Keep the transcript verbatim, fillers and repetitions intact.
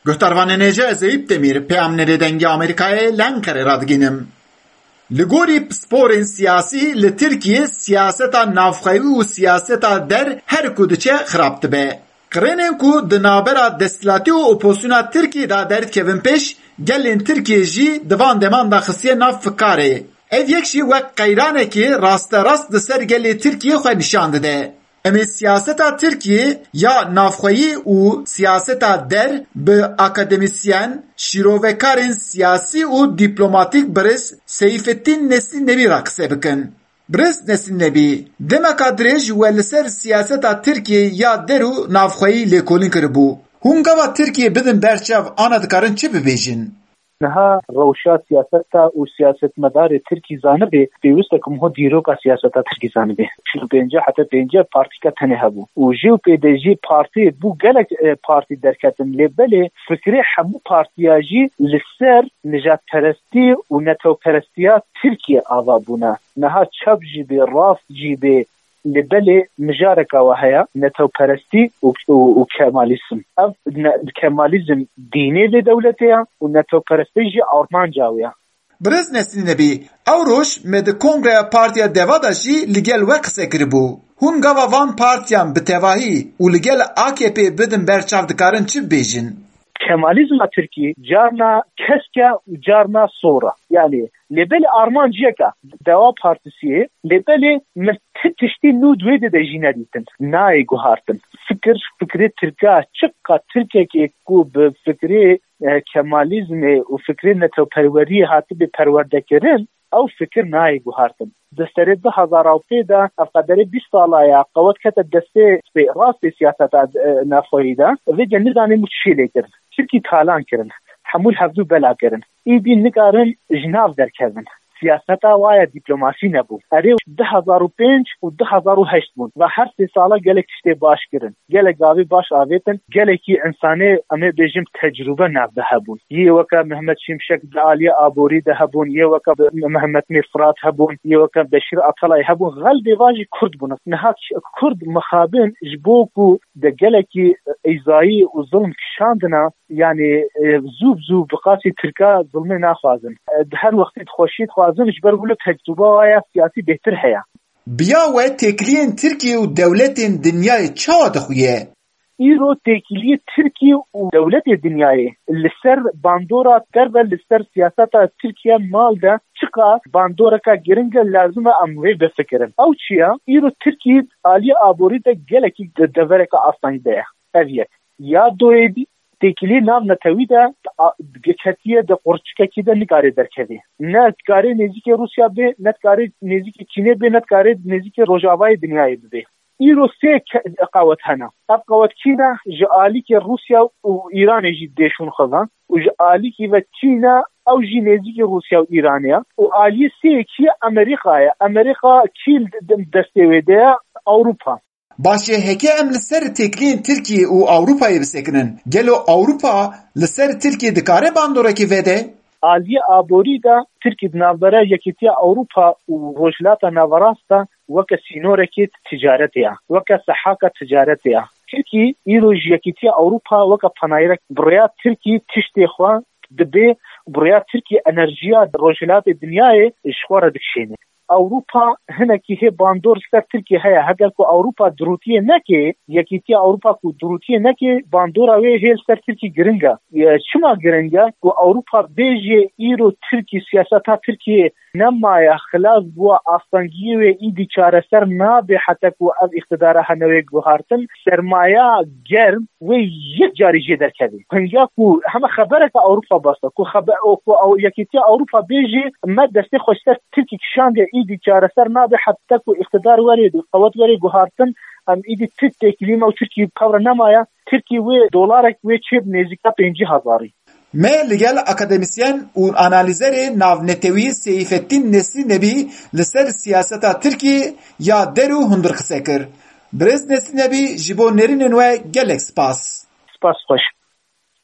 Guhdarvanên hêja, ez Eyüp Demîr, peyamnerê Dengê Amerîkayê li Enqerê radigînim. Li gorî pisporên siyasî li Tirkiyê siyaseta navxweyî û siyaseta der her ku diçe xirab dibe. Qirênên ku di navbera desthilatî û opozisyona Tirkiyê de derdikevin pêş, gelên Tirkiyê jî di van deman de xistiye nav fikarê. Ev yek jî wek qeyranekê rasterast di ser gelê Tirkiyê xwe nîşan dide. Em ê siyaseta Tirkiyê ya navxweyî û siyaseta der bi akademîsyen, şîrovekarên siyasî û dîplomatîk birêz Seyfettîn Nesîn Nebî re qise bikin. Birêz Nesîn Nebî, demeka dirêj we li ser siyaseta Tirkiyê ya der û navxweyî lêkolîn kiribû. Hûn gava Tirkiyê bidin ber çav, ana dikarin çi bibêjin? Niha rewşa siyaseta û siyasetmedarê Tirkî zanibê, pêwist e ku miho dîroka siyaseta Tirkî zanibê. Çil û pênc heta pênc partîka tenê hebû. Û jê û pê de jî partî bû gelek, e, partî derketin. Lê belê fikrê hemû partiya jî li ser nijadperestî û netewperestiya Tirkiyê ava bûne. Niha çep jî bê, rast jî bê, Lê belê mijareka we heye, netewperestî û, û, û kemalizm. Ev ne, kemalizm dînê vê dewletê ye û netewperestî jî armanca wê ye. Birêz Nesîn Nebî, ew roj me di Kongreya Partiya Deva de jî li gel we qise kiribû. Hûn gava van partiyan bi tevahî û li gel A K P bidin ber çav, dikarin çi bibêjin? Kemalizma Tirkî carna kesk e û carna sor e. Yanî lê belê armanc yek e, Deva Partîsiyê, lê belê min ti tiştî nû di wê de jî nedîtin. Nayê guhartin. Fikir, fikrê Tirka, çiqa Tirkekê ku bi fikrê, e, Kemalizmê û fikrê netewperweriyê hatibê perwerdekirin, ew fikir nayê guhartin. Di serê du hezar û pênc de, ev qederê bîst sala ye, qewet kete destê rastê siyaseta, e, navxweyî de, vê de nizanim û çi lê kirin. Tirkî talan kirin, hemû li hevdû bela kirin. Îdî nikarin ji nav derkevin. Siyaseta wa ye dîplomasî nebû. Erê, du hezar û pênc û du hezar û heşt bûn. Ve her sê sala gelek tiştê baş kirin. Gelek gavê baş avêtin, gelekî însanê, em ê bêjim, tecrûbe nav de hebûn. Yê weke Mehmet Şimşek di aliyê aborî de hebûn, yê weke Mehmet Mîr Firat hebûn, yê weke Beşîr Atalay hebûn. Xelbê va jî Kurd bûn. Niha Kurd mixabin ji bo ku de gelekî îzayî û zilm kişandina, yanî, e, zû bi zû bi qasî Tirka zilmê naxwazin. E, di her wextî di xweşî dixwazin, ji ber wilo tecrûba wa ya siyasî bêhtir heye. Biya we têkiliyên Tirkiyê û dewletên dinyayê çawa dixuye? Îro têkiliyê Tirkî û dewletê dinyayê li ser bandora derve, li ser siyaseta Tirkiye mal de çiqas bandoreka giring e, lazim e em wê bifikirin. Ew çi ye? Îro Tirkî aliyê aborî de gelekî de-, devereke asteng de ye. Ev yek. Ya doyê dî, têkilî nav netewî de a-, ketiye di qurçikekî de, nikare derkevê. Ne dikarê nêzîkê Rûsya bê, ne dikarê nêzîkê Çînê bê, ne dikarê nêzîkê rojavayê dinyayê bibê. Îro sê ke-, qewet hene. Ev qewet kî ne? Ji alîkê Rûsya û Îranê jî dê şûn xizan û ji alîkî ve Çîn e, ew jî nêzîkî Rûsya û Îranê ye û aliyê sêyekî Amerîka ye. Amerîka kî li d-, destê wê de ye? Ewropa. Baş e, heke em li ser têkiliyên Tirkiyê û Ewropayê bisekinin, gelo Ewropa li ser Tirkiyê dikare bandorekê vede? Aliyê aborî de Tirkî di navbera Yekîtiya Ewropa û Rojhilata Naverast de weke sînorekî ticaretê ye, weke sehaka ticaretê ye. Tirkî îro ji Yekîtiya Ewropa weke panayirek bi rêya Tirkî tiştê xwe dibê, bi rêya Tirkî enerjiya rojhilatê dinyayê ji xwe re dikişêne. Ewropa hinekî hê bandor li ser Tirkiyê heye. Heger ku Ewropa dirûtiyê neke, Yekîtiya Ewropa ku dirûtiyê neke, bandora wê hê li ser Tirkî giring e. Ye, çima giring e? Ku Ewropa bêjê îro Tirkî, siyaseta Tirkiyê nemaye, xilas bûye, astengiyê wê îdî çareser nabe heta ku ev îqtidara hene wê guhartin. Sermaya germ wê yek carî jê derkeve. Hinga ku heme xebereke Ewropa bas e, ku xebe-, o, ku ew Yekîtiya Ewropa bêjî me destê xwe ji ser Tirkî kişandiye, îdî çareser nabe heta ku îqtidar were, qewet were guhartin, em îdî Tirk têkilî me û Tirkî bi hev re nemaye, Tirkî wê dolarek wê çê bi nêzîka pêncî hezarî. Me li gel akademîsyen û analîzerê navnetewî Seyfettîn Nesî Nebî li ser siyaseta Tirkiyê ya der û hundir qise kir. Birêz Nesî Nebî, ji bo nêrînên we gelek spas. Spas xweş.